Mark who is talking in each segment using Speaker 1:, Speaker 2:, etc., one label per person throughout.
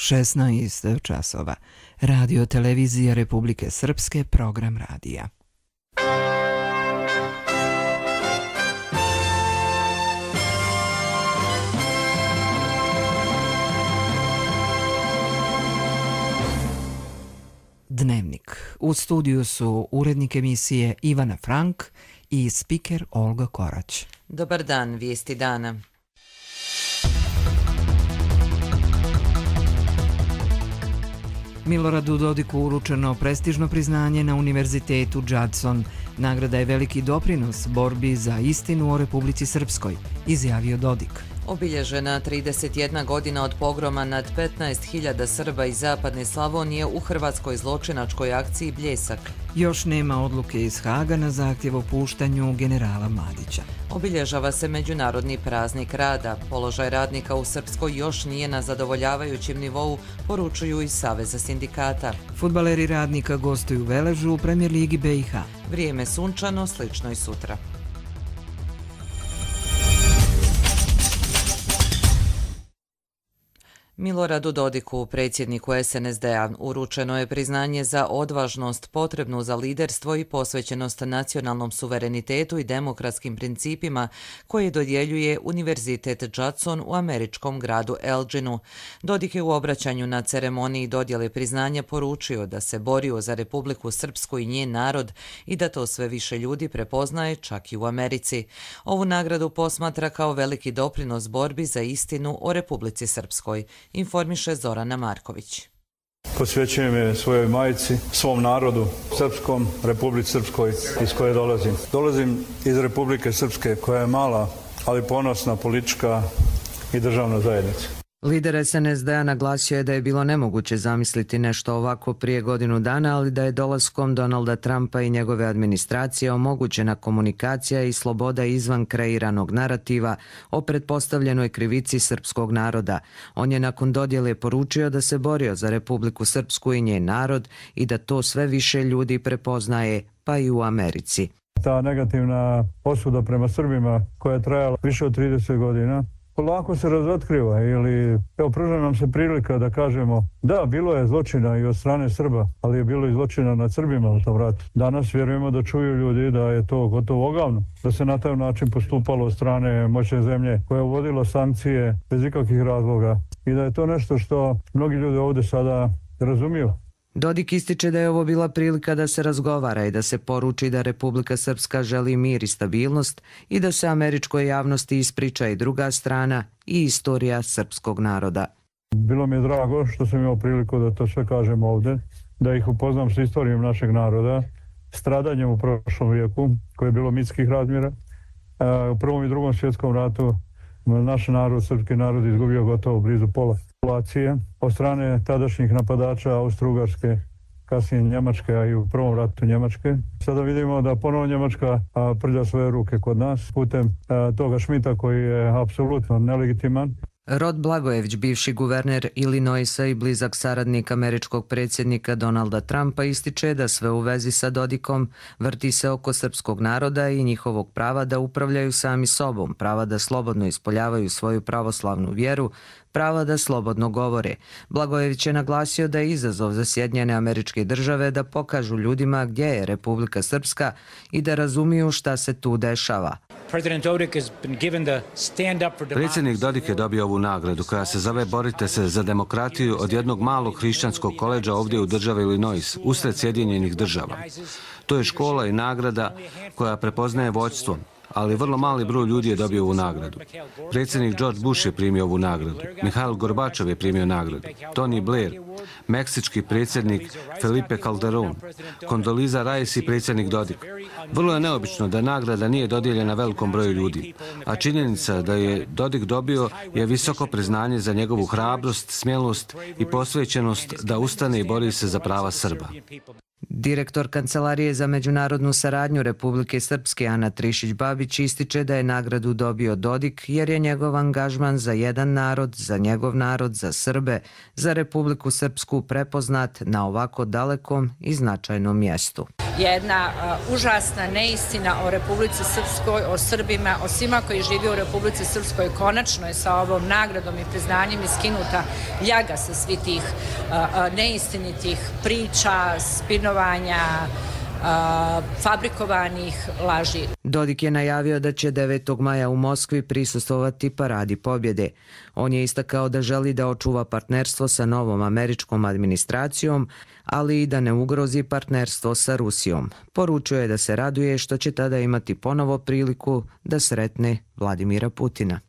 Speaker 1: 16 časova. Radio Televizija Republike Srpske, program radija. Dnevnik. U studiju su urednik emisije Ivana Frank i spiker Olga Korać.
Speaker 2: Dobar dan, vijesti dana.
Speaker 1: Miloradu Dodiku uručeno prestižno priznanje na Univerzitetu Judson. Nagrada je veliki doprinos borbi za istinu o Republici Srpskoj, izjavio Dodik.
Speaker 2: Obilježena 31 godina od pogroma nad 15.000 Srba iz zapadne Slavonije u hrvatskoj zločinačkoj akciji Bljesak.
Speaker 1: Još nema odluke iz Haga na zahtjev o puštanju generala Mladića.
Speaker 2: Obilježava se Međunarodni praznik rada. Položaj radnika u Srpskoj još nije na zadovoljavajućem nivou, poručuju iz Saveza sindikata.
Speaker 1: Fudbaleri Radnika gostuju u Veležu u Premier ligi BiH.
Speaker 2: Vrijeme sunčano, slično i sutra. Miloradu Dodiku, predsjedniku SNSD-a, uručeno je priznanje za odvažnost potrebnu za liderstvo i posvećenost nacionalnom suverenitetu i demokratskim principima koje dodjeljuje Univerzitet Judson u američkom gradu Elginu. Dodik je u obraćanju na ceremoniji dodjele priznanja poručio da se borio za Republiku Srpsku i njen narod i da to sve više ljudi prepoznaje čak i u Americi. Ovu nagradu posmatra kao veliki doprinos borbi za istinu o Republici Srpskoj, informiše Zorana Marković.
Speaker 3: Posvećujem je svojoj majci, svom narodu, srpskom, Republici Srpskoj iz koje dolazim. Dolazim iz Republike Srpske koja je mala, ali ponosna politička i državna zajednica.
Speaker 4: Lider SNSD-a naglasio je da je bilo nemoguće zamisliti nešto ovako prije godinu dana, ali da je dolaskom Donalda Trumpa i njegove administracije omogućena komunikacija i sloboda izvan kreiranog narativa o pretpostavljenoj krivici srpskog naroda. On je nakon dodjele poručio da se borio za Republiku Srpsku i njen narod i da to sve više ljudi prepoznaje, pa i u Americi.
Speaker 3: Ta negativna osuda prema Srbima koja je trajala više od 30 godina, polako se razotkriva ili pruža nam se prilika da kažemo da, bilo je zločina i od strane Srba, ali je bilo i zločina nad Srbima u tom ratu. Danas vjerujemo da čuju ljudi da je to gotovo ogavno, da se na taj način postupalo od strane moćne zemlje koja je uvodila sankcije bez ikakvih razloga i da je to nešto što mnogi ljudi ovdje sada razumiju.
Speaker 4: Dodik ističe da je ovo bila prilika da se razgovara i da se poruči da Republika Srpska želi mir i stabilnost i da se američkoj javnosti ispriča i druga strana i istorija srpskog naroda.
Speaker 3: Bilo mi je drago što sam imao priliku da to sve kažem ovdje, da ih upoznam s istorijom našeg naroda, stradanjem u prošlom vijeku koje je bilo mitskih razmjera. U Prvom i Drugom svjetskom ratu naš narod, srpski narod, izgubio gotovo blizu pola populacije od strane tadašnjih napadača Austro-Ugarske, kasnije Njemačke, a i u prvom ratu Njemačke. Sada vidimo da ponovo Njemačka prlja svoje ruke kod nas putem toga Šmita koji je apsolutno nelegitiman.
Speaker 4: Rod Blagojević, bivši guverner Illinoisa i blizak saradnik američkog predsjednika Donalda Trumpa, ističe da sve u vezi sa Dodikom vrti se oko srpskog naroda i njihovog prava da upravljaju sami sobom, prava da slobodno ispoljavaju svoju pravoslavnu vjeru, prava da slobodno govore. Blagojević je naglasio da je izazov za Sjedinjene Američke Države da pokažu ljudima gdje je Republika Srpska i da razumiju šta se tu dešava.
Speaker 5: Predsjednik Dodik je dobio ovu nagradu koja se zove Borite se za demokratiju od jednog malog hrišćanskog koledža ovdje u državi Illinois, usred Sjedinjenih Država. To je škola i nagrada koja prepoznaje vođstvo, ali vrlo mali broj ljudi je dobio ovu nagradu. Predsjednik George Bush je primio ovu nagradu, Mihail Gorbačov je primio nagradu, Tony Blair, meksički predsjednik Felipe Calderón, Condoleezza Rice i predsjednik Dodik. Vrlo je neobično da nagrada nije dodijeljena velikom broju ljudi, a činjenica da je Dodik dobio je visoko priznanje za njegovu hrabrost, smjelost i posvećenost da ustane i bori se za prava Srba.
Speaker 4: Direktor Kancelarije za međunarodnu saradnju Republike Srpske Ana Trišić-Babić ističe da je nagradu dobio Dodik jer je njegov angažman za jedan narod, za njegov narod, za Srbe, za Republiku Srpsku prepoznat na ovako dalekom i značajnom mjestu.
Speaker 6: Jedna užasna neistina o Republici Srpskoj, o Srbima, o svima koji žive u Republici Srpskoj konačno je sa ovom nagradom i priznanjem iskinuta ljaga sa svih tih neistinitih priča, spinovanja, fabrikovanih laži.
Speaker 4: Dodik je najavio da će 9. maja u Moskvi prisustvovati Paradi pobjede. On je istakao da želi da očuva partnerstvo sa novom američkom administracijom, ali i da ne ugrozi partnerstvo sa Rusijom. Poručio je da se raduje što će tada imati ponovo priliku da sretne Vladimira Putina.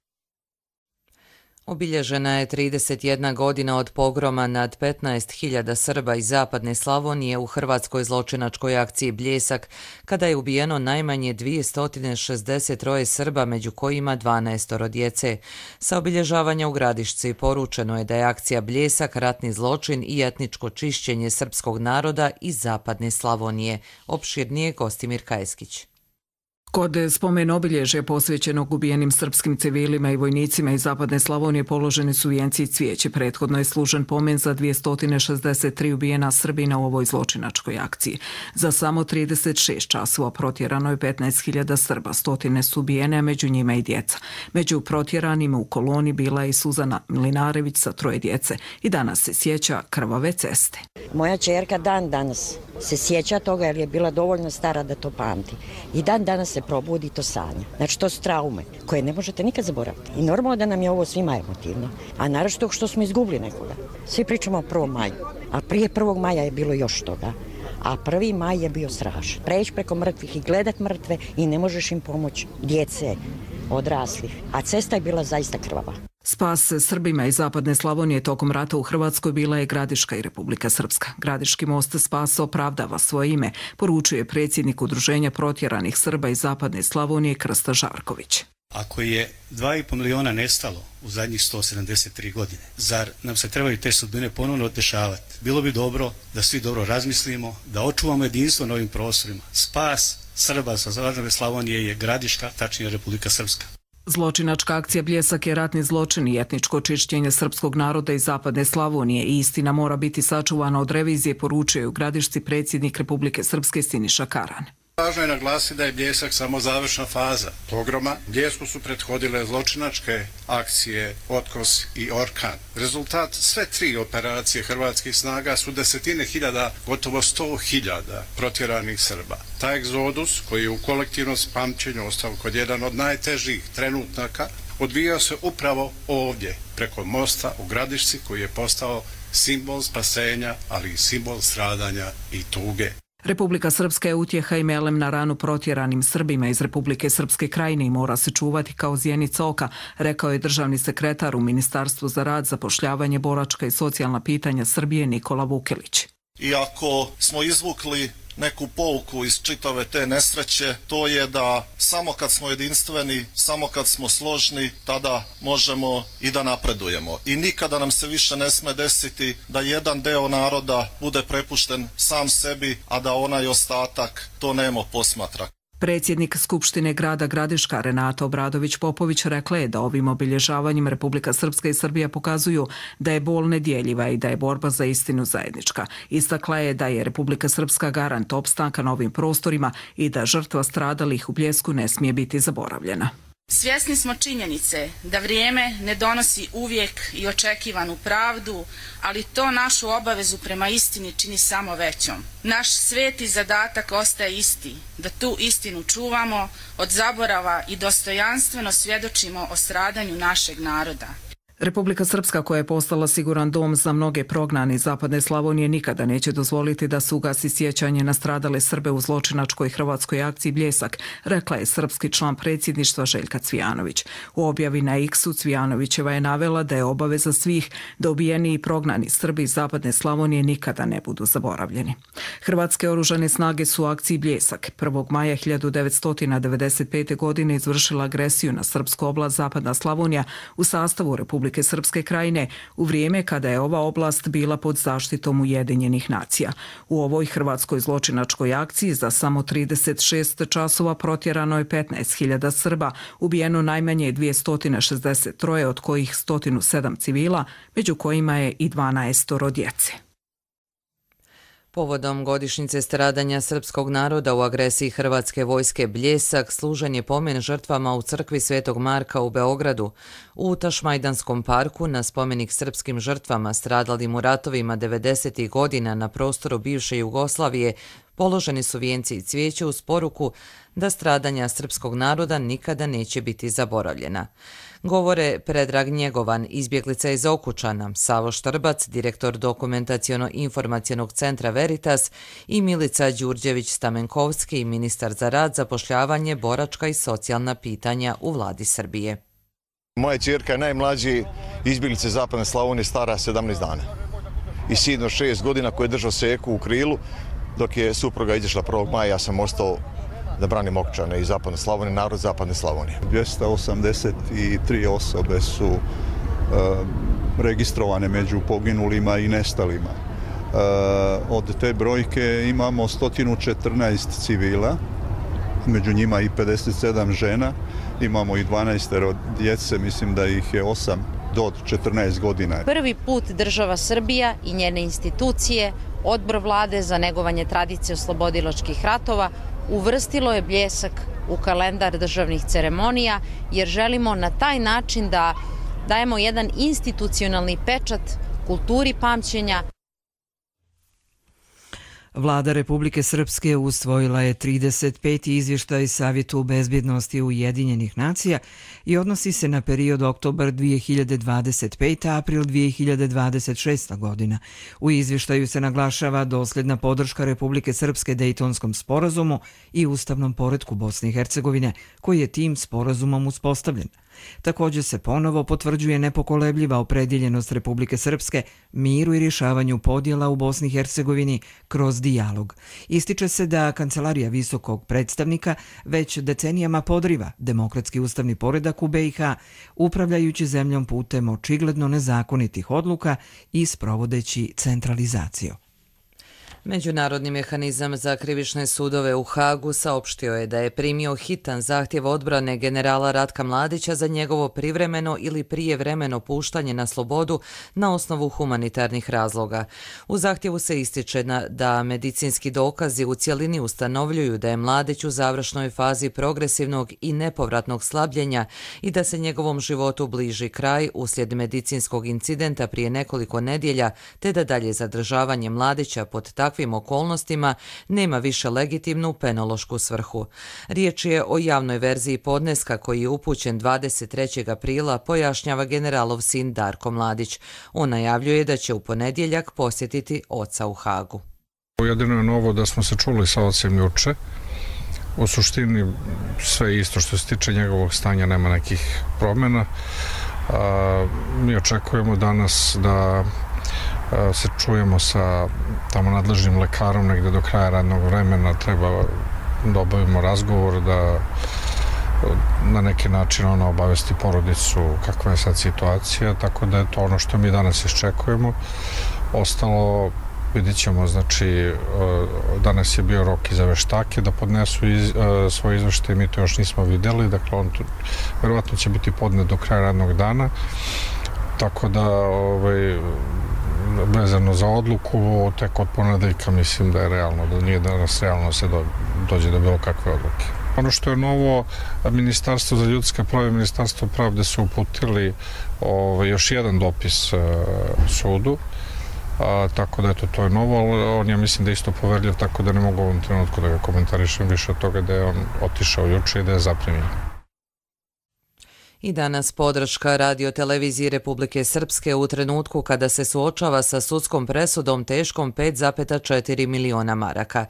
Speaker 2: Obilježena je 31 godina od pogroma nad 15.000 Srba iz zapadne Slavonije u hrvatskoj zločinačkoj akciji Bljesak, kada je ubijeno najmanje 263 Srba, među kojima 12 djece. Sa obilježavanja u Gradišci poručeno je da je akcija Bljesak ratni zločin i etničko čišćenje srpskog naroda iz zapadne Slavonije. Opširnije Gostimir Kajeskić.
Speaker 7: Kod spomen obilježja posvećenog ubijenim srpskim civilima i vojnicima iz zapadne Slavonije položeni su vijenci i cvijeće. Prethodno je služen pomen za 263 ubijena Srbina u ovoj zločinačkoj akciji. Za samo 36 časova protjerano je 15.000 Srba, stotine su ubijene, a među njima i djeca. Među protjeranima u koloni bila je i Suzana Mlinarević sa 3 djece i danas se sjeća krvave ceste.
Speaker 8: Moja ćerka dan danas se sjeća toga jer je bila dovoljno stara da to pamti. I dan danas se probudi to sanja. Znači to su traume koje ne možete nikad zaboraviti. I normalno da nam je ovo svima emotivno. A naročito što smo izgubili nekoga. Svi pričamo o 1. maju. A prije 1. maja je bilo još toga. A 1. maj je bio strašan. Preći preko mrtvih i gledat mrtve i ne možeš im pomoći. Djece, odraslih. A cesta je bila zaista krvava.
Speaker 7: Spas Srbima iz zapadne Slavonije tokom rata u Hrvatskoj bila je Gradiška i Republika Srpska. Gradiški most Spasa opravdava svoje ime, poručuje predsjednik Udruženja protjeranih Srba iz zapadne Slavonije Krsta Žarković.
Speaker 9: Ako je 2,5 miliona nestalo u zadnjih 173 godine, zar nam se trebaju te sudbine ponovno dešavati? Bilo bi dobro da svi dobro razmislimo, da očuvamo jedinstvo na ovim prostorima. Spas Srba sa zapadne Slavonije je Gradiška, tačnije Republika Srpska.
Speaker 7: Zločinačka akcija Bljesak je ratni zločin i etničko čišćenje srpskog naroda iz zapadne Slavonije i istina mora biti sačuvana od revizije, poručuje u Gradišci predsjednik Republike Srpske Siniša Karan.
Speaker 10: Važno je naglasiti da je Bljesak samo završna faza pogroma. Bljesku su prethodile zločinačke akcije Otkos i Orkan. Rezultat sve 3 operacije hrvatskih snaga su desetine hiljada, gotovo 100.000 protjeranih Srba. Taj egzodus, koji je u kolektivnom pamćenju ostao kod jedan od najtežih trenutaka, odvijao se upravo ovdje, preko mosta u Gradišci, koji je postao simbol spasenja, ali i simbol stradanja i tuge.
Speaker 7: Republika Srpska je utjeha i melem na ranu protjeranim Srbima iz Republike Srpske Krajine i mora se čuvati kao zjenica oka, rekao je državni sekretar u Ministarstvu za rad, zapošljavanje, boračka i socijalna pitanja Srbije Nikola Vukelić.
Speaker 11: Iako smo izvukli neku pouku iz čitave te nesreće, to je da samo kad smo jedinstveni, samo kad smo složni, tada možemo i da napredujemo. I nikada nam se više ne sme desiti da jedan deo naroda bude prepušten sam sebi, a da onaj ostatak to nemo posmatra.
Speaker 7: Predsjednik Skupštine grada Gradiška Renata Obradović-Popović rekla je da ovim obilježavanjem Republika Srpska i Srbija pokazuju da je bol nedjeljiva i da je borba za istinu zajednička. Istakla je da je Republika Srpska garant opstanka na ovim prostorima i da žrtva stradalih u Bljesku ne smije biti zaboravljena.
Speaker 12: Svjesni smo činjenice da vrijeme ne donosi uvijek i očekivanu pravdu, ali to našu obavezu prema istini čini samo većom. Naš sveti zadatak ostaje isti, da tu istinu čuvamo od zaborava i dostojanstveno svjedočimo o stradanju našeg naroda.
Speaker 7: Republika Srpska, koja je postala siguran dom za mnoge prognane iz zapadne Slavonije, nikada neće dozvoliti da se ugasi sjećanje na stradale Srbe u zločinačkoj hrvatskoj akciji Bljesak, rekla je srpski član predsjedništva Željka Cvijanović. U objavi na X-u Cvijanovićeva je navela da je obaveza svih da ubijeni i prognani Srbi iz zapadne Slavonije nikada ne budu zaboravljeni. Hrvatske oružane snage su u akciji Bljesak 1. maja 1995. godine izvršila agresiju na srpsku oblast zapadna Slavonija u sastavu Republike Republike Srpske Krajine u vrijeme kada je ova oblast bila pod zaštitom Ujedinjenih nacija. U ovoj hrvatskoj zločinačkoj akciji za samo 36 časova protjerano je 15.000 Srba, ubijeno najmanje 263, od kojih 107 civila, među kojima je i 12 djece.
Speaker 2: Povodom godišnjice stradanja srpskog naroda u agresiji hrvatske vojske Bljesak služen je pomen žrtvama u crkvi Svetog Marka u Beogradu. U Tašmajdanskom parku na spomenik srpskim žrtvama stradalim u ratovima 90. godina na prostoru bivše Jugoslavije položeni su vijenci i cvijeće uz poruku da stradanja srpskog naroda nikada neće biti zaboravljena. Govore Predrag Njegovan, izbjeglica iz Okučana, Savo Štrbac, direktor Dokumentaciono-informacionog centra Veritas i Milica Đurđević-Stamenkovski, ministar za rad, zapošljavanje, boračka i socijalna pitanja u vladi Srbije.
Speaker 13: Moja ćerka je najmlađi izbjeglice Zapadne Slavonije, stara 17 dana. I sin od 6 godina koji je držao seku u krilu, dok je supruga izašla 1. maja, ja sam ostao da branim Okučane i Zapadne Slavonije, narod Zapadne Slavonije.
Speaker 14: 283 osobe su registrovane među poginulima i nestalima. Od te brojke imamo 114 civila, među njima i 57 žena, imamo i 12 djece, mislim da ih je 8 do 14 godina.
Speaker 15: Prvi put država Srbija i njene institucije, Odbor vlade za negovanje tradicije oslobodilačkih ratova, uvrstilo je Bljesak u kalendar državnih ceremonija, jer želimo na taj način da dajemo jedan institucionalni pečat kulturi pamćenja.
Speaker 1: Vlada Republike Srpske usvojila je 35. izvještaj Savjetu bezbjednosti Ujedinjenih nacija i odnosi se na period oktobar 2025. april 2026. godina. U izvještaju se naglašava dosljedna podrška Republike Srpske Dejtonskom sporazumu i ustavnom poretku Bosne i Hercegovine, koji je tim sporazumom uspostavljen. Također se ponovo potvrđuje nepokolebljiva opredjeljenost Republike Srpske miru i rješavanju podjela u Bosni i Hercegovini kroz dijalog. Ističe se da Kancelarija visokog predstavnika već decenijama podriva demokratski ustavni poredak u BiH, upravljajući zemljom putem očigledno nezakonitih odluka i sprovodeći centralizaciju.
Speaker 2: Međunarodni mehanizam za krivične sudove u Hagu saopštio je da je primio hitan zahtjev odbrane generala Ratka Mladića za njegovo privremeno ili prijevremeno puštanje na slobodu na osnovu humanitarnih razloga. U zahtjevu se ističe da medicinski dokazi u cjelini ustanovljuju da je Mladić u završnoj fazi progresivnog i nepovratnog slabljenja i da se njegovom životu bliži kraj uslijed medicinskog incidenta prije nekoliko nedjelja, te da dalje zadržavanje Mladića pod takvim okolnostima nema više legitimnu penološku svrhu. Riječ je o javnoj verziji podneska koji je upućen 23. aprila, pojašnjava generalov sin Darko Mladić. On najavljuje da će u ponedjeljak posjetiti oca u Hagu.
Speaker 16: Jedino je novo da smo se čuli sa ocem juče. U suštini sve isto što se tiče njegovog stanja, nema nekih promjena. Mi očekujemo danas da se čujemo sa tamo nadležnim lekarom negdje do kraja radnog vremena, treba da obavimo razgovor, da na neki način ona obavesti porodicu kakva je sad situacija, tako da je to ono što mi danas iščekujemo. Ostalo vidit ćemo, znači danas je bio rok i za veštake da podnesu svoje izveštaje, mi to još nismo vidjeli, dakle on verovatno će biti podnet do kraja radnog dana, tako da vezano za odluku, tek od ponedeljka mislim da je realno, da nije danas realno se dođe do bilo kakve odluke. Ono što je novo, Ministarstvo za ljudska prava i Ministarstvo pravde su uputili još jedan dopis sudu, tako da to je novo, ali on ja mislim da je isto poverljiv, tako da ne mogu u ovom trenutku da ga komentarišem više od toga da je on otišao juče i da je zaprimljen.
Speaker 2: I danas podrška Radio-televiziji Republike Srpske u trenutku kada se suočava sa sudskom presudom teškom 5,4 miliona maraka.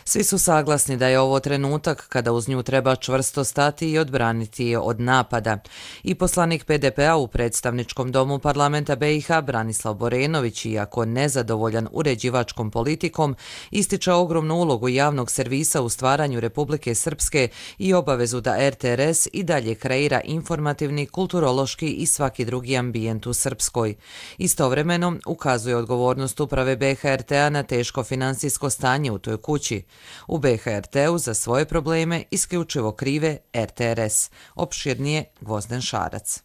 Speaker 2: Svi su saglasni da je ovo trenutak kada uz nju treba čvrsto stati i odbraniti je od napada. I poslanik PDP-a u predstavničkom domu parlamenta BiH Branislav Borenović, iako nezadovoljan uređivačkom politikom, ističe ogromnu ulogu javnog servisa u stvaranju Republike Srpske i obavezu da RTRS i dalje kreira informativne informativni, kulturološki i svaki drugi ambijent u Srpskoj. Istovremeno ukazuje odgovornost uprave BHRT-a na teško finansijsko stanje u toj kući. U BHRT-u za svoje probleme isključivo krive RTRS. Opširnije Gvozden Šarac.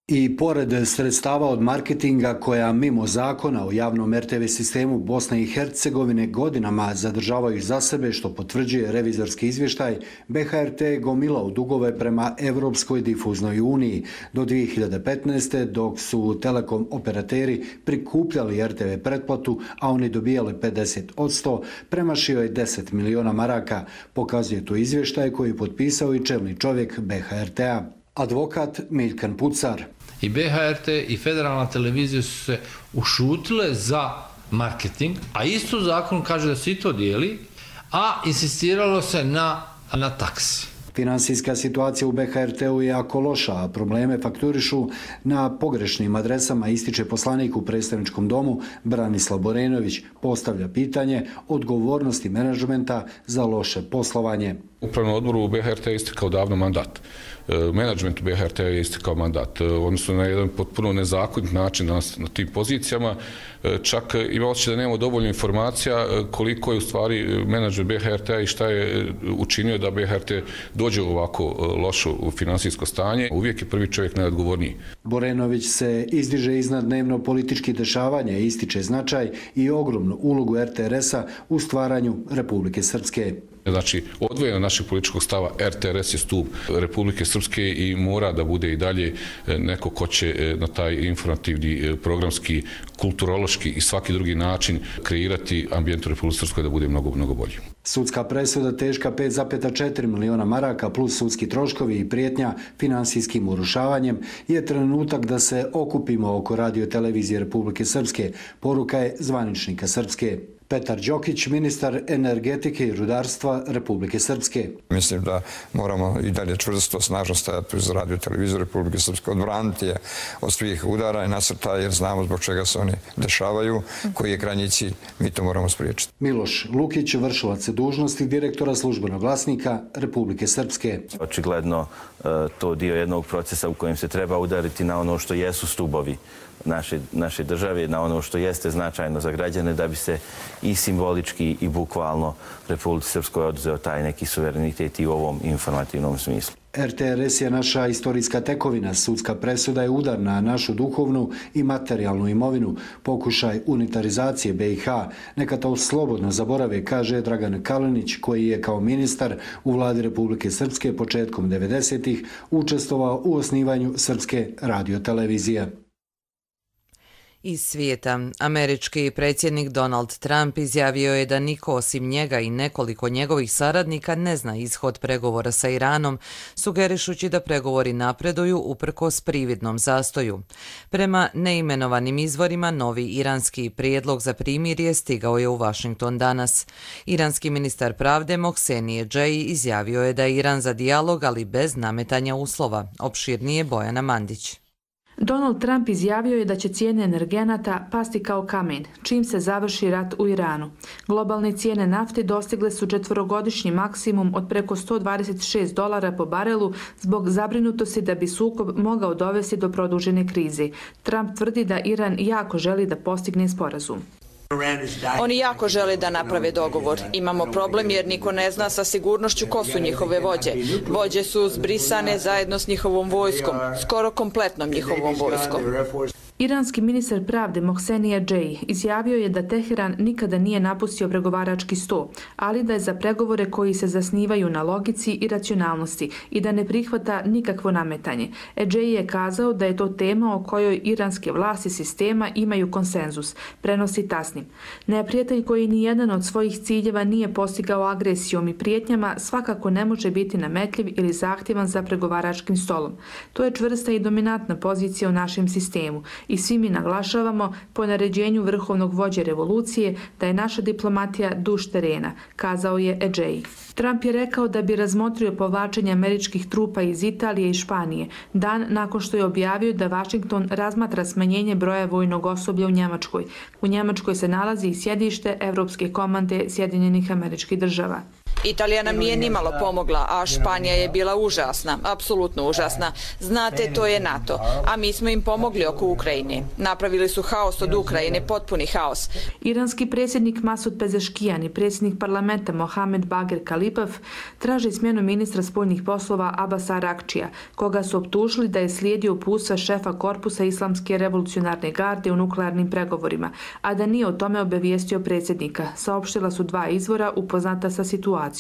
Speaker 17: I pored sredstava od marketinga koja mimo zakona o javnom RTV sistemu Bosne i Hercegovine godinama zadržavaju za sebe, što potvrđuje revizorski izvještaj, BHRT je gomilao dugove prema Evropskoj difuznoj uniji do 2015. dok su telekom operateri prikupljali RTV pretplatu, a oni dobijali 50%, premašio je 10 miliona maraka, pokazuje to izvještaj koji je potpisao i čelni čovjek BHRT-a. Advokat Miljkan Pucar.
Speaker 18: I BHRT i federalna televizija su se ušutile za marketing, a isto zakon kaže da se i to dijeli, a insistiralo se na taksi.
Speaker 17: Finansijska situacija u BHRT-u je jako loša, a probleme fakturišu na pogrešnim adresama, ističe poslanik u predstavničkom domu Branislav Borenović. Postavlja pitanje odgovornosti menadžmenta za loše poslovanje.
Speaker 19: Upravnom odboru BHRT je istekao davno mandat. Menadžmentu BHRT je istekao mandat. Oni su na jedan potpuno nezakonit način na tim pozicijama. Čak ima osjećaj da nemamo dovoljno informacija koliko je u stvari menadžment BHRT-a i šta je učinio da BHRT dođe u ovako lošo finansijsko stanje. Uvijek je prvi čovjek najodgovorniji.
Speaker 17: Borenović se izdiže iznad dnevno političkih dešavanja i ističe značaj i ogromnu ulogu RTRS-a u stvaranju Republike Srpske.
Speaker 19: Znači, odvojeno našeg političkog stava, RTRS je stup Republike Srpske i mora da bude i dalje neko ko će na taj informativni, programski, kulturološki i svaki drugi način kreirati ambijent u Republike Srpskoj da bude mnogo, mnogo bolji.
Speaker 17: Sudska presuda teška 5,4 miliona maraka plus sudski troškovi i prijetnja finansijskim urušavanjem je trenutak da se okupimo oko radio televizije Republike Srpske, poruka je zvaničnika Srpske. Petar Đokić, ministar energetike i rudarstva Republike Srpske.
Speaker 20: Mislim da moramo i dalje čvrsto, snažno stajati uz radio televiziju Republike Srpske, odbraniti je od svih udara i nasrtaja jer znamo zbog čega se oni dešavaju, koji je krajnji cilj, mi to moramo spriječiti.
Speaker 17: Miloš Lukić, vršilac dužnosti direktora službenog glasnika Republike Srpske.
Speaker 21: Očigledno to dio jednog procesa u kojem se treba udariti na ono što jesu stubovi naše države, na ono što jeste značajno za građane da bi se i simbolički i bukvalno Republici Srpskoj oduzeo taj neki suverenitet i u ovom informativnom smislu.
Speaker 17: RTRS je naša istorijska tekovina, sudska presuda je udar na našu duhovnu i materijalnu imovinu, pokušaj unitarizacije BiH. Neka to slobodno zaborave, kaže Dragan Kalinić, koji je kao ministar u vladi Republike Srpske početkom 90-ih učestvovao u osnivanju Srpske radiotelevizije.
Speaker 2: Iz svijeta, američki predsjednik Donald Trump izjavio je da niko osim njega i nekoliko njegovih saradnika ne zna ishod pregovora sa Iranom, sugerišući da pregovori napreduju uprkos prividnom zastoju. Prema neimenovanim izvorima, novi iranski prijedlog za primirje stigao je u Washington danas. Iranski ministar pravde Mohsenije Džeji izjavio je da je Iran za dijalog, ali bez nametanja uslova. Opširnije Bojana Mandić.
Speaker 22: Donald Trump izjavio je da će cijene energenata pasti kao kamen, čim se završi rat u Iranu. Globalne cijene nafte dostigle su četvorogodišnji maksimum od preko $126 po barelu zbog zabrinutosti da bi sukob mogao dovesti do produžene krize. Trump tvrdi da Iran jako želi da postigne sporazum.
Speaker 23: Oni jako žele da naprave dogovor. Imamo problem jer niko ne zna sa sigurnošću ko su njihove vođe. Vođe su zbrisane zajedno s njihovom vojskom, skoro kompletnom njihovom vojskom.
Speaker 22: Iranski ministar pravde Mohsenija Džeji izjavio je da Teheran nikada nije napustio pregovarački sto, ali da je za pregovore koji se zasnivaju na logici i racionalnosti i da ne prihvata nikakvo nametanje. Džeji je kazao da je to tema o kojoj iranske vlasti sistema imaju konsenzus, prenosi Tasnim. Neprijatelj koji ni jedan od svojih ciljeva nije postigao agresijom i prijetnjama svakako ne može biti nametljiv ili zahtjevan za pregovaračkim stolom. To je čvrsta i dominantna pozicija u našem sistemu. I svi mi naglašavamo po naređenju vrhovnog vođe revolucije da je naša diplomatija duž terena, kazao je Džeji. Trump je rekao da bi razmotrio povlačenje američkih trupa iz Italije i Španije, dan nakon što je objavio da Washington razmatra smanjenje broja vojnog osoblja u Njemačkoj. U Njemačkoj se nalazi i sjedište Evropske komande Sjedinjenih Američkih Država.
Speaker 23: Italija nam nije nimalo pomogla, a Španija je bila užasna, apsolutno užasna. Znate, to je NATO, a mi smo im pomogli oko Ukrajine. Napravili su haos od Ukrajine, potpuni haos.
Speaker 22: Iranski predsjednik Masud Pezeškijan i predsjednik parlamenta Mohamed Bagher Khalibaf traži smjenu ministra spoljnih poslova Abasa Arakčija, koga su optužili da je slijedio uputstva šefa korpusa Islamske revolucionarne garde u nuklearnim pregovorima, a da nije o tome obavijestio predsjednika, saopštila su dva izvora upoznata sa situacijom.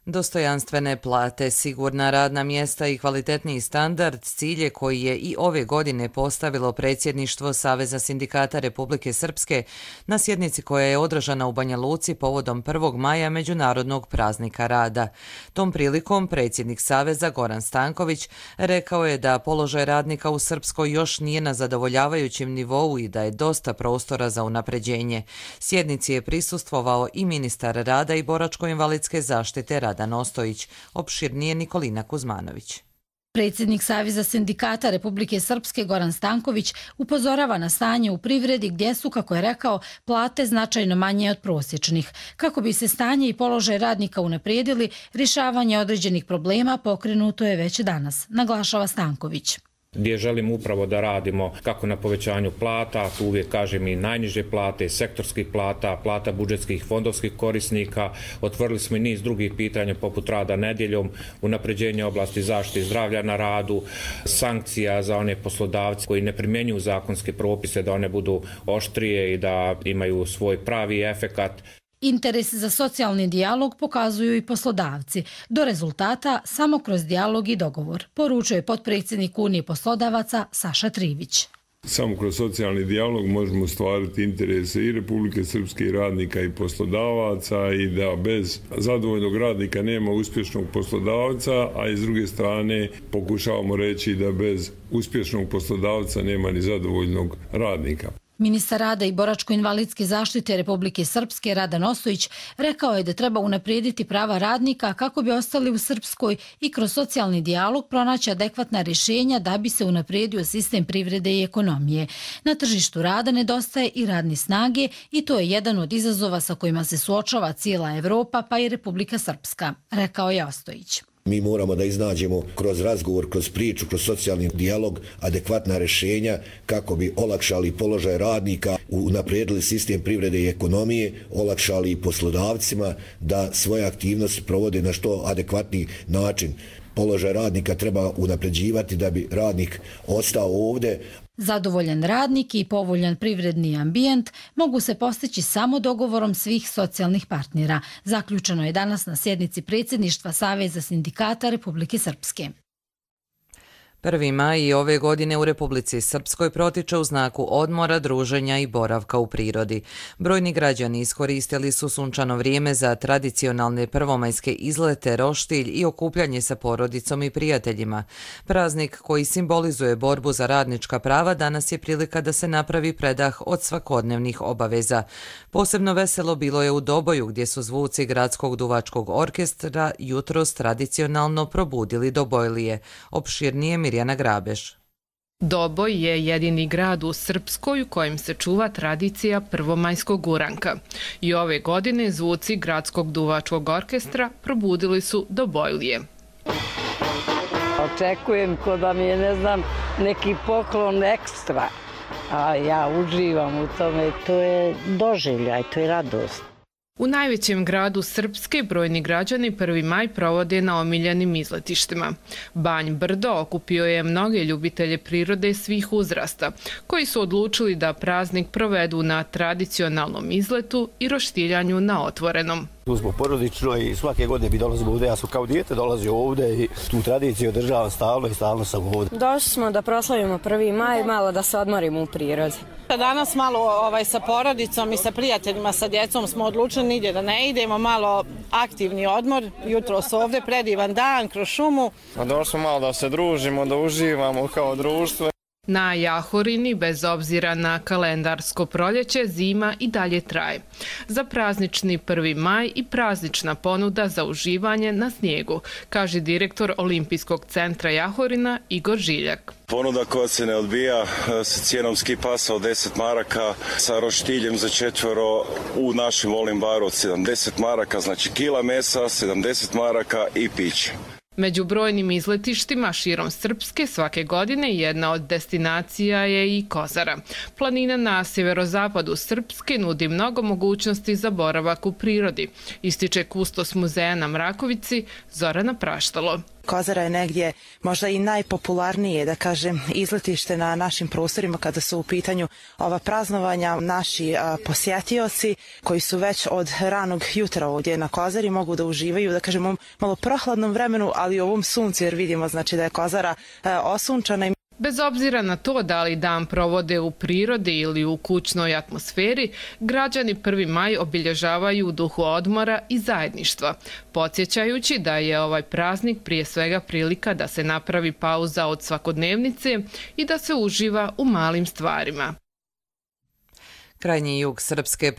Speaker 2: Dostojanstvene plate, sigurna radna mjesta i kvalitetniji standard cilje koji je i ove godine postavilo predsjedništvo Saveza sindikata Republike Srpske na sjednici koja je održana u Banja Luci povodom 1. maja Međunarodnog praznika rada. Tom prilikom predsjednik Saveza Goran Stanković rekao je da položaj radnika u Srpskoj još nije na zadovoljavajućem nivou i da je dosta prostora za unapređenje. Sjednici je prisustvovao i ministar rada i boračko-invalidske zaštite Radan Ostojić, opširnije Nikolina Kuzmanović.
Speaker 3: Predsjednik Saveza sindikata Republike Srpske Goran Stanković upozorava na stanje u privredi gdje su, kako je rekao, plate značajno manje od prosječnih. Kako bi se stanje i položaj radnika unaprijedili, rješavanje određenih problema pokrenuto je već danas, naglašava Stanković.
Speaker 5: Gdje želimo upravo da radimo kako na povećanju plata, tu uvijek kažem i najniže plate, sektorskih plata, plata budžetskih fondovskih korisnika. Otvorili smo i niz drugih pitanja poput rada nedjeljom, unapređenje oblasti zaštite zdravlja na radu, sankcija za one poslodavce koji ne primjenjuju zakonske propise, da one budu oštrije i da imaju svoj pravi efekat.
Speaker 3: Interes za socijalni dijalog pokazuju i poslodavci. Do rezultata samo kroz dijalog i dogovor, poručuje potpredsjednik Unije poslodavaca Saša Trivić.
Speaker 6: Samo kroz socijalni dijalog možemo ostvariti interese i Republike Srpske i radnika i poslodavaca i da bez zadovoljnog radnika nema uspješnog poslodavca, a iz druge strane pokušavamo reći da bez uspješnog poslodavca nema ni zadovoljnog radnika.
Speaker 3: Ministar rada i boračko-invalidske zaštite Republike Srpske Radan Ostojić rekao je da treba unaprijediti prava radnika kako bi ostali u Srpskoj i kroz socijalni dijalog pronaći adekvatna rješenja da bi se unaprijedio sistem privrede i ekonomije. Na tržištu rada nedostaje i radne snage i to je jedan od izazova sa kojima se suočava cijela Evropa pa i Republika Srpska, rekao je Ostojić.
Speaker 24: Mi moramo da iznađemo kroz razgovor, kroz priču, kroz socijalni dijalog adekvatna rješenja kako bi olakšali položaj radnika, unaprijedili sistem privrede i ekonomije, olakšali poslodavcima da svoje aktivnosti provode na što adekvatniji način. Položaj radnika treba unapređivati da bi radnik ostao ovdje.
Speaker 3: Zadovoljan radnik i povoljan privredni ambijent mogu se postići samo dogovorom svih socijalnih partnera. Zaključeno je danas na sjednici predsjedništva Saveza sindikata Republike Srpske.
Speaker 2: 1. maj ove godine u Republici Srpskoj protiče u znaku odmora, druženja i boravka u prirodi. Brojni građani iskoristili su sunčano vrijeme za tradicionalne prvomajske izlete, roštilj i okupljanje sa porodicom i prijateljima. Praznik koji simbolizuje borbu za radnička prava danas je prilika da se napravi predah od svakodnevnih obaveza. Posebno veselo bilo je u Doboju gdje su zvuci Gradskog duvačkog orkestra jutros tradicionalno probudili Dobojlije. Opširnije Mirjana Grabeš.
Speaker 25: Doboj je jedini grad u Srpskoj u kojem se čuva tradicija prvomajskog uranka. I ove godine zvuci Gradskog duvačkog orkestra probudili su Dobojlije.
Speaker 26: Očekujem ko da mi je, ne znam, neki poklon ekstra, a ja uživam u tome. To je doživljaj, to je radost.
Speaker 25: U najvećem gradu Srpske brojni građani 1. maj provode na omiljenim izletištima. Banj Brdo okupio je mnoge ljubitelje prirode svih uzrasta, koji su odlučili da praznik provedu na tradicionalnom izletu i roštiljanju na otvorenom.
Speaker 27: Tu smo porodično i svake godine bi dolazimo ovdje. Ja sam kao dijete dolazio ovdje i tu tradiciju održavam stalno i stalno sam ovdje.
Speaker 28: Došli smo da proslavimo 1. maj, malo da se odmorimo u prirodi.
Speaker 29: Danas malo sa porodicom i sa prijateljima, sa djecom smo odlučili nigdje da ne idemo, malo aktivni odmor. Jutro su ovdje, predivan dan, kroz šumu.
Speaker 30: Došli smo malo da se družimo, da uživamo kao društvo.
Speaker 25: Na Jahorini, bez obzira na kalendarsko proljeće, zima i dalje traje. Za praznični 1. maj i praznična ponuda za uživanje na snijegu, kaže direktor Olimpijskog centra Jahorina Igor Žiljak.
Speaker 4: Ponuda koja se ne odbija sa cijenom ski pasa od 10 maraka, sa roštiljem za 4 u našem Volim baru od 70 maraka, znači kila mesa, 70 maraka i piće.
Speaker 25: Među brojnim izletištima širom Srpske svake godine jedna od destinacija je i Kozara. Planina na sjeverozapadu Srpske nudi mnogo mogućnosti za boravak u prirodi, ističe kustos muzeja na Mrakovici Zorana Praštalo.
Speaker 7: Kozara je negdje možda i najpopularnije, da kažem, izletište na našim prostorima kada su u pitanju ova praznovanja. Naši posjetioci koji su već od ranog jutra ovdje na Kozari mogu da uživaju, da kažem, u malo prohladnom vremenu, ali i ovom suncu, jer vidimo znači da je Kozara osunčana.
Speaker 25: Bez obzira na to da li dan provode u prirodi ili u kućnoj atmosferi, građani 1. maj obilježavaju u duhu odmora i zajedništva, podsjećajući da je ovaj praznik prije svega prilika da se napravi pauza od svakodnevnice i da se uživa u malim stvarima.
Speaker 2: Krajnji jug Srpske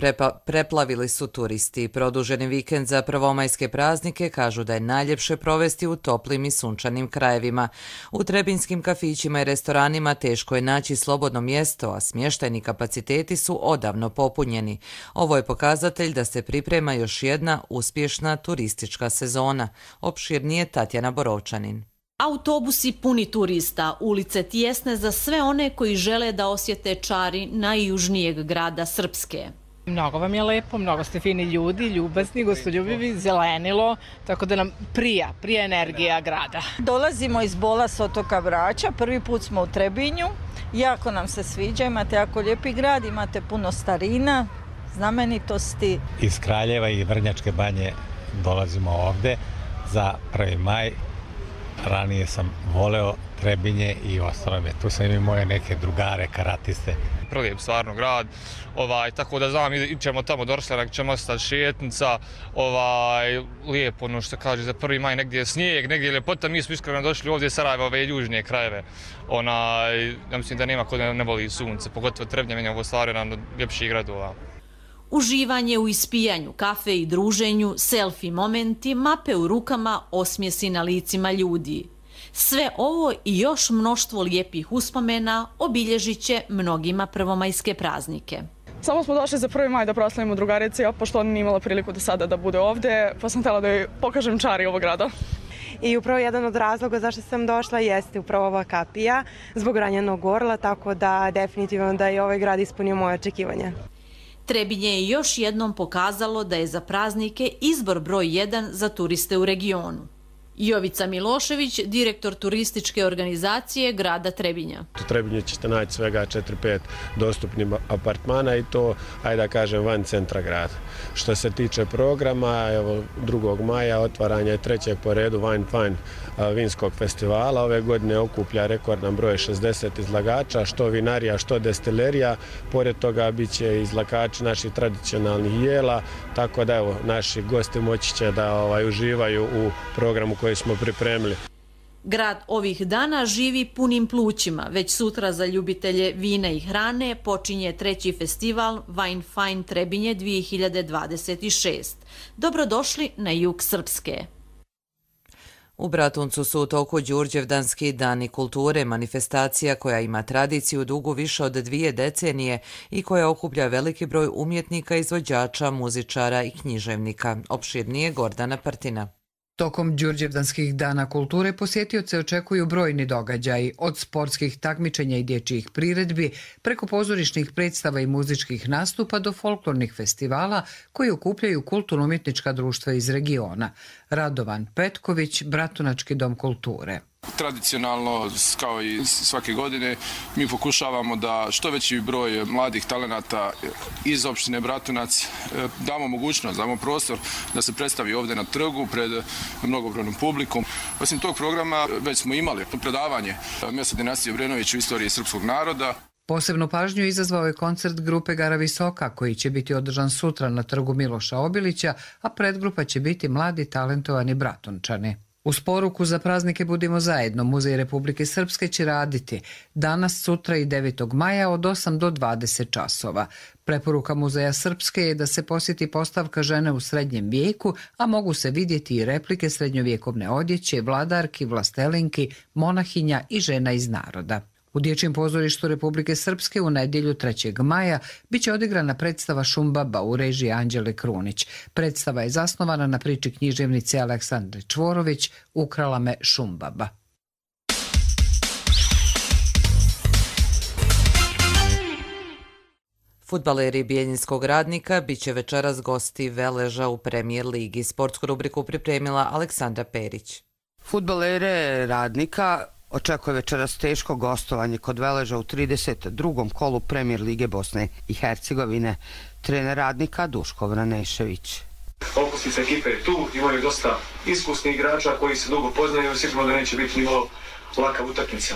Speaker 2: preplavili su turisti. Produženi vikend za prvomajske praznike kažu da je najljepše provesti u toplim i sunčanim krajevima. U trebinskim kafićima i restoranima teško je naći slobodno mjesto, a smještajni kapaciteti su odavno popunjeni. Ovo je pokazatelj da se priprema još jedna uspješna turistička sezona. Opširnije Tatjana Borovčanin.
Speaker 8: Autobusi puni turista, ulice tijesne za sve one koji žele da osjete čari najjužnijeg grada Srpske.
Speaker 9: Mnogo vam je lepo, mnogo ste fini ljudi, ljubazni, gostoljubivi, zelenilo, tako da nam prija energija grada.
Speaker 10: Dolazimo iz Bola s otoka Brača, prvi put smo u Trebinju, jako nam se sviđa, imate jako lijepi grad, imate puno starina, znamenitosti.
Speaker 11: Iz Kraljeva i Vrnjačke banje dolazimo ovde za 1. maj. Ranije sam voleo Trebinje i ostalo me. Tu sam imao moje neke drugare, karatiste.
Speaker 12: Prelijep stvarno grad, tako da znam, ićemo tamo do Rsljanak, ćemo ostati šetnica, lijepo, ono što kaže za 1. maj, negdje je snijeg, negdje je ljepota. Mi smo iskreno došli ovdje iz Sarajeva, ove južnije krajeve. Ja mislim da nema ko ne voli sunce, pogotovo Trebnje, meni je ovo stvarno jedan od ljepših gradova.
Speaker 8: Uživanje u ispijanju kafe i druženju, selfie momenti, mape u rukama, osmjesi na licima ljudi. Sve ovo i još mnoštvo lijepih uspomena obilježit će mnogima prvomajske praznike.
Speaker 13: Samo smo došli za 1. maj da proslavimo drugarici, pošto ona nije imala priliku do sada da bude ovdje, pa sam htjela da joj pokažem čari ovog grada.
Speaker 14: I upravo jedan od razloga zašto sam došla jeste upravo ova kapija zbog ranjenog gorla, tako da definitivno da je ovaj grad ispunio moje očekivanja.
Speaker 8: Trebinje je još jednom pokazalo da je za praznike izbor broj 1 za turiste u regionu. Jovica Milošević, direktor turističke organizacije grada Trebinja.
Speaker 30: U Trebinju ćete naći svega 4-5 dostupnih apartmana i to, ajde da kažem, van centra grada. Što se tiče programa, evo 2. maja otvaranje 3. po redu Wine Fine vinskog festivala. Ove godine okuplja rekordan broj 60 izlagača, što vinarija, što destilerija. Pored toga bit će izlagači naših tradicionalnih jela, tako da evo, naši gosti moći će da uživaju u programu koji smo pripremili.
Speaker 8: Grad ovih dana živi punim plućima. Već sutra za ljubitelje vina i hrane počinje 3. festival Wine Fine Trebinje 2026. Dobrodošli na jug Srpske.
Speaker 2: U Bratuncu su u toku Đurđevdanski dani kulture, manifestacija koja ima tradiciju dugu više od 2 decenije i koja okuplja veliki broj umjetnika, izvođača, muzičara i književnika. Opširnije Gordana Partina.
Speaker 31: Tokom Đurđevdanskih dana kulture posjetioce očekuju brojni događaji, od sportskih takmičenja i dječjih priredbi, preko pozorišnih predstava i muzičkih nastupa do folklornih festivala koji okupljaju kulturno-umjetnička društva iz regiona. Radovan Petković, Bratunački dom kulture.
Speaker 32: Tradicionalno, kao i svake godine, mi pokušavamo da što veći broj mladih talenata iz opštine Bratunac damo mogućnost, damo prostor da se predstavi ovdje na trgu pred mnogobrojnom publikom. Osim tog programa već smo imali predavanje mjesta dinastije Obrenović u istoriji srpskog naroda.
Speaker 31: Posebnu pažnju izazvao je koncert grupe Gara Visoka koji će biti održan sutra na trgu Miloša Obilića, a predgrupa će biti mladi talentovani Bratunčani. Uz poruku za praznike Budimo zajedno, Muzej Republike Srpske će raditi danas, sutra i 9. maja od 8 do 20 časova. Preporuka Muzeja Srpske je da se posjeti postavka žene u srednjem vijeku, a mogu se vidjeti i replike srednjovjekovne odjeće, vladarki, vlastelinki, monahinja i žena iz naroda. U Dječjem pozorištu Republike Srpske u nedjelju 3. maja biće odigrana predstava Šumbaba u režiji Anđele Krunić. Predstava je zasnovana na priči književnice Aleksandre Čvorović Ukrala me Šumbaba.
Speaker 2: Fudbaleri Bijeljinskog Radnika biće večeras gosti Veleža u Premijer ligi. Sportsku rubriku pripremila Aleksandra Perić.
Speaker 1: Fudbalere Radnika očekuje večeras teško gostovanje kod Veleža u 32. kolu Premijer lige Bosne i Hercegovine. Trener Radnika Duško Vranešević.
Speaker 5: Okosnica ekipe je tu, imaju dosta iskusnih igrača koji se dugo poznaju, sigurno da neće biti nimalo laka utakmica.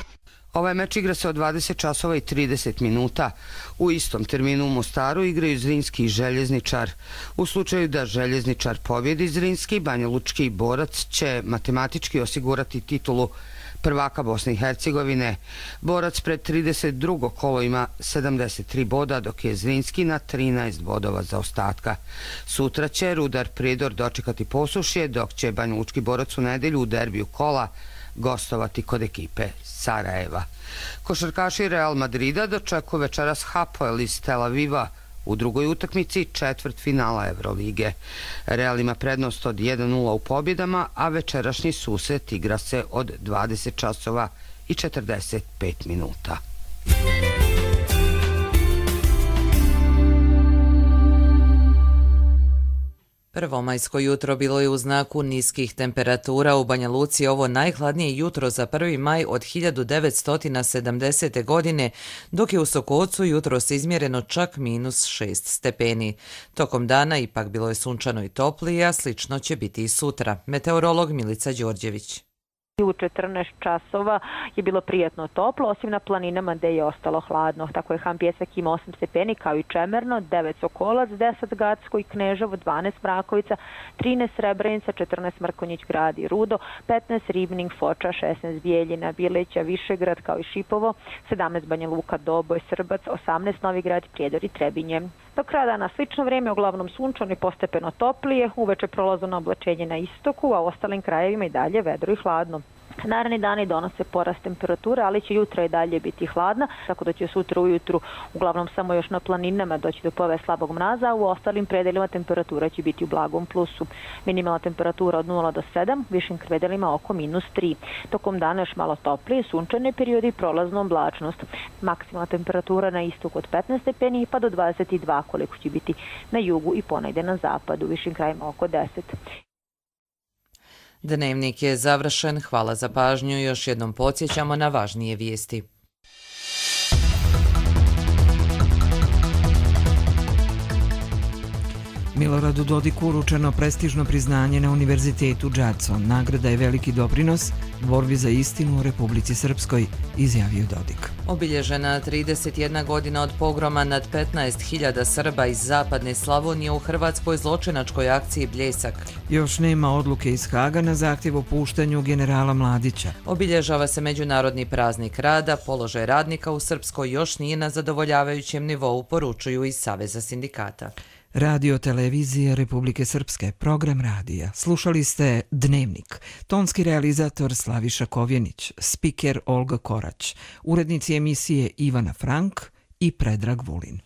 Speaker 1: Ovaj meč igra se od 20 časova i 30 minuta. U istom terminu u Mostaru igraju Zrinski i Željezničar. U slučaju da Željezničar pobjedi Zrinski, Banjalučki Borac će matematički osigurati titulu prvaka Bosne i Hercegovine. Borac pred 32. kolo ima 73 boda, dok je Zrinski na 13 bodova za ostatka. Sutra će Rudar Prijedor dočekati Posušje, dok će Banjalučki Borac u nedjelju u derbiju kola gostovati kod ekipe Sarajeva. Košarkaši Real Madrida dočekuju večeras Hapoel iz Tel Aviva u drugoj utakmici četvrtfinala Evrolige. Real ima prednost od 1:0 u pobjedama, a večerašnji susret igra se od 20 časova i 45 minuta.
Speaker 2: Prvomajsko jutro bilo je u znaku niskih temperatura. U Banja Luci ovo najhladnije jutro za 1. maj od 1970. godine, dok je u Sokocu jutros izmjereno čak -6 stepeni. Tokom dana ipak bilo je sunčano i toplije, a slično će biti i sutra. Meteorolog Milica Đorđević.
Speaker 6: U 14 časova je bilo prijatno toplo, osim na planinama gdje je ostalo hladno. Tako je Han Pjesak ima 8 stepeni, kao i Čemerno, 9 Sokolac, 10 Gacko i Kneževo, 12 Mrakovica, 13 Srebrenica, 14 Mrkonjić Grad i Rudo, 15 Ribning, Foča, 16 Bijeljina, Bileća, Višegrad, kao i Šipovo, 17 Banja Luka, Doboj, Srbac, 18 Novi Grad, Prijedor i Trebinje. Do kraja dana slično vrijeme, uglavnom sunčano i postepeno toplije, uveče prolazno oblačenje na istoku, a u ostalim krajevima i dalje vedro i hladno. Naredni dani donose porast temperature, ali će jutra i dalje biti hladna, tako da će sutra ujutru uglavnom samo još na planinama doći do pojave slabog mraza, a u ostalim predelima temperatura će biti u blagom plusu. Minimalna temperatura od 0 do 7, u višim predelima oko -3. Tokom dana još malo toplije, sunčane periodi i prolazna oblačnost. Maksimalna temperatura na istoku od 15 stepeni pa do 22, koliko će biti na jugu i ponegdje na zapadu, u višim krajima oko 10.
Speaker 2: Dnevnik je završen. Hvala za pažnju. Još jednom podsjećamo na važnije vijesti.
Speaker 15: Miloradu Dodiku uručeno prestižno priznanje na Univerzitetu Jadson. Nagrada je veliki doprinos borbi za istinu u Republici Srpskoj, izjavio Dodik.
Speaker 2: Obilježena 31 godina od pogroma nad 15.000 Srba iz zapadne Slavonije u hrvatskoj zločinačkoj akciji Bljesak.
Speaker 15: Još nema odluke iz Haga na zahtjev o puštanju generala Mladića.
Speaker 2: Obilježava se Međunarodni praznik rada, položaj radnika u Srpskoj još nije na zadovoljavajućem nivou, poručuju iz Saveza sindikata.
Speaker 15: Radio Televizije Republike Srpske, program radija. Slušali ste Dnevnik. Tonski realizator Slaviša Kovjenić, spiker Olga Korać, urednici emisije Ivana Frank i Predrag Vulin.